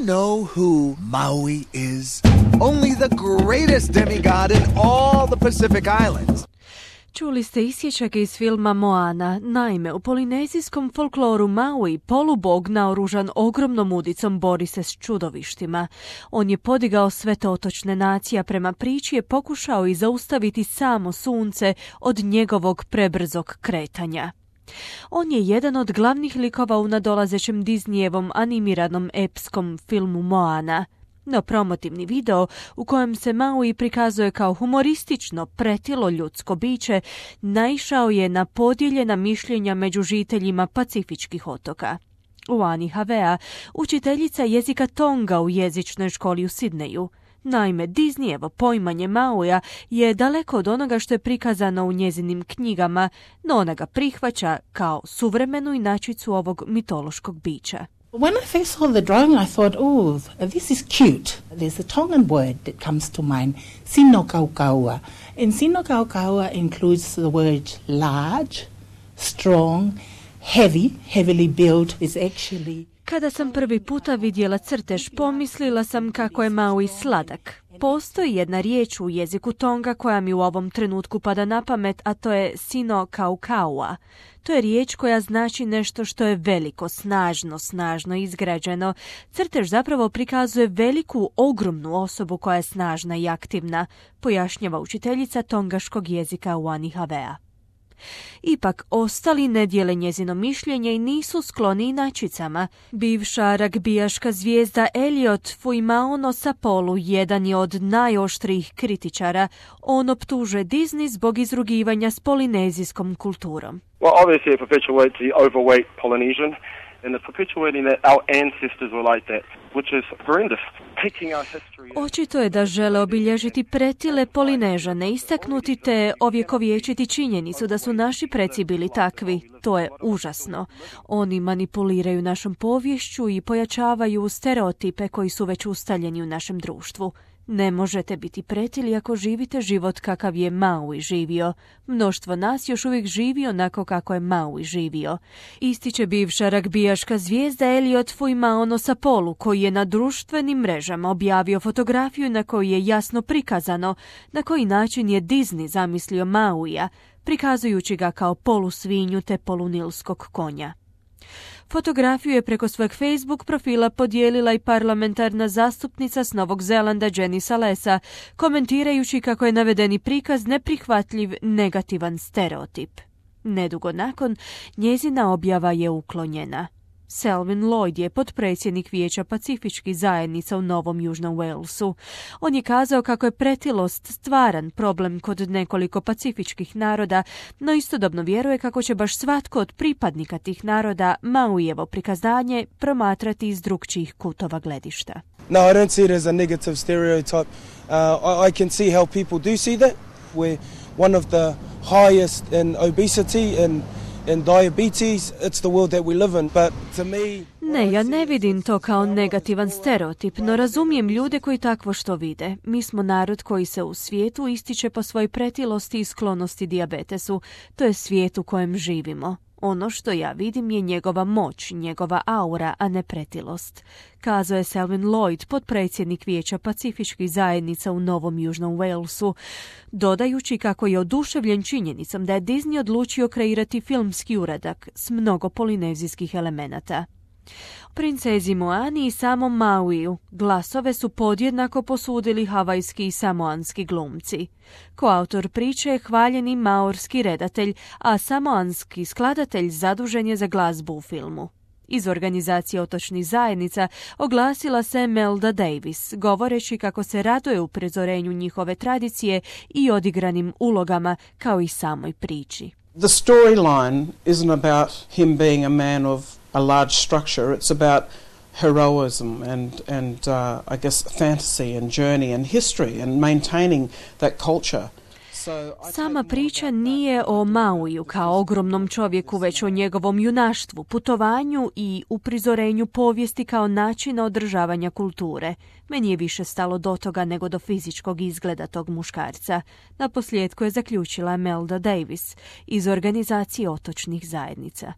know who Maui is? Only the greatest demigod in all the Pacific Islands. Čuli ste isječake iz filma Moana. Naime, u polinezijskom folkloru Maui polubog naoružan ogromnom udicom bori se s čudovištima. On je podigao sve te otočne nacije, a prema priči je pokušao i zaustaviti samo sunce od njegovog prebrzog kretanja. On je jedan od glavnih likova u nadolazećem Disneyevom animiranom epskom filmu Moana. No promotivni video u kojem se Maui prikazuje kao humoristično pretilo ljudsko biće naišao je na podijeljena mišljenja među žiteljima pacifičkih otoka. Uani Havea, učiteljica jezika Tonga u jezičnoj školi u Sidneju. Naime, Disneyevo poimanje Mauija je daleko od onoga što je prikazano u njezinim knjigama, no ona ga prihvaća kao suvremenu inačicu ovog mitološkog bića. When I first saw the drawing, I thought, oh, this is cute. There's a Tongan word that comes to mind, sinokaukaua. And sinokaukaua includes the word large, strong, heavy, heavily built. Is actually... Kada sam prvi puta vidjela crtež, pomislila sam kako je Maui sladak. Postoji jedna riječ u jeziku Tonga koja mi u ovom trenutku pada na pamet, a to je sinokaukaua. To je riječ koja znači nešto što je veliko, snažno izgrađeno. Crtež zapravo prikazuje veliku, ogromnu osobu koja je snažna i aktivna, pojašnjava učiteljica tongaškog jezika Uani Havea. Ipak, ostali ne dijele njezino mišljenje i nisu skloni inačicama. Bivša ragbijaška zvijezda Elliot Fuimaono Sapolu jedan je od najoštrijih kritičara. On optužuje Disney zbog izrugivanja s polinezijskom kulturom. Well, obviously it perpetuates the overweight Polynesian and it's perpetuating that our ancestors were like that, which is horrendous. Taking our history... Očito je da žele obilježiti pretile Polinežane, istaknuti te ovjekovječiti činjenicu da su naši preci bili takvi. To je užasno. Oni manipuliraju našom poviješću i pojačavaju stereotipe koji su već ustaljeni u našem društvu. Ne možete biti pretili ako živite život kakav je Maui živio. Mnoštvo nas još uvijek živi onako kako je Maui živio. Ističe bivša ragbijaška zvijezda Elliot Fuimaono Sapolu, koji je na društvenim mrežama objavio fotografiju na kojoj je jasno prikazano na koji način je Disney zamislio Mauija, prikazujući ga kao polusvinju te polunilskog konja. Fotografiju je preko svojeg Facebook profila podijelila i parlamentarna zastupnica s Novog Zelanda Jenny Salesa, komentirajući kako je navedeni prikaz neprihvatljiv negativan stereotip. Nedugo nakon, njezina objava je uklonjena. Selwyn Lloyd je potpredsjednik Vijeća pacifičkih zajednica u Novom Južnom Walesu. On je kazao kako je pretilost stvaran problem kod nekoliko pacifičkih naroda, no istodobno vjeruje kako će baš svatko od pripadnika tih naroda Mauijevo prikazanje promatrati iz drukčijih kutova gledišta. No, I don't see it as a negative stereotype. I can see how people do see that. We're one of the highest in obesity and diabetes. It's the world that we live in, but to me... Ne, ja ne vidim to kao negativan stereotip, no razumijem ljude koji takvo što vide. Mi smo narod koji se u svijetu ističe po svojoj pretilosti i sklonosti dijabetesu. To je svijet u kojem živimo. Ono što ja vidim je njegova moć, njegova aura, a ne pretilost. Kazao je Selwyn Lloyd, potpredsjednik Vijeća pacifičkih zajednica u Novom Južnom Walesu, dodajući kako je oduševljen činjenicom da je Disney odlučio kreirati filmski uradak s mnogo polinezijskih elemenata. Princezi Moani i samom Mauiju glasove su podjednako posudili havajski i samoanski glumci. Koautor priče je hvaljeni maorski redatelj, a samoanski skladatelj zadužen je za glazbu u filmu. Iz organizacije otočnih zajednica oglasila se Melda Davis, govoreći kako se raduje uprizorenju njihove tradicije i odigranim ulogama, kao i samoj priči. The storyline isn't about him being a man of a large structure. It's about heroism and I guess fantasy and journey and history and maintaining that culture. Sama priča nije o Mauiju kao ogromnom čovjeku, već o njegovom junaštvu, putovanju i uprizorenju povijesti kao načina održavanja kulture. Meni je više stalo do toga nego do fizičkog izgleda tog muškarca. Naposljetku je zaključila Melda Davis iz organizacije otočnih zajednica.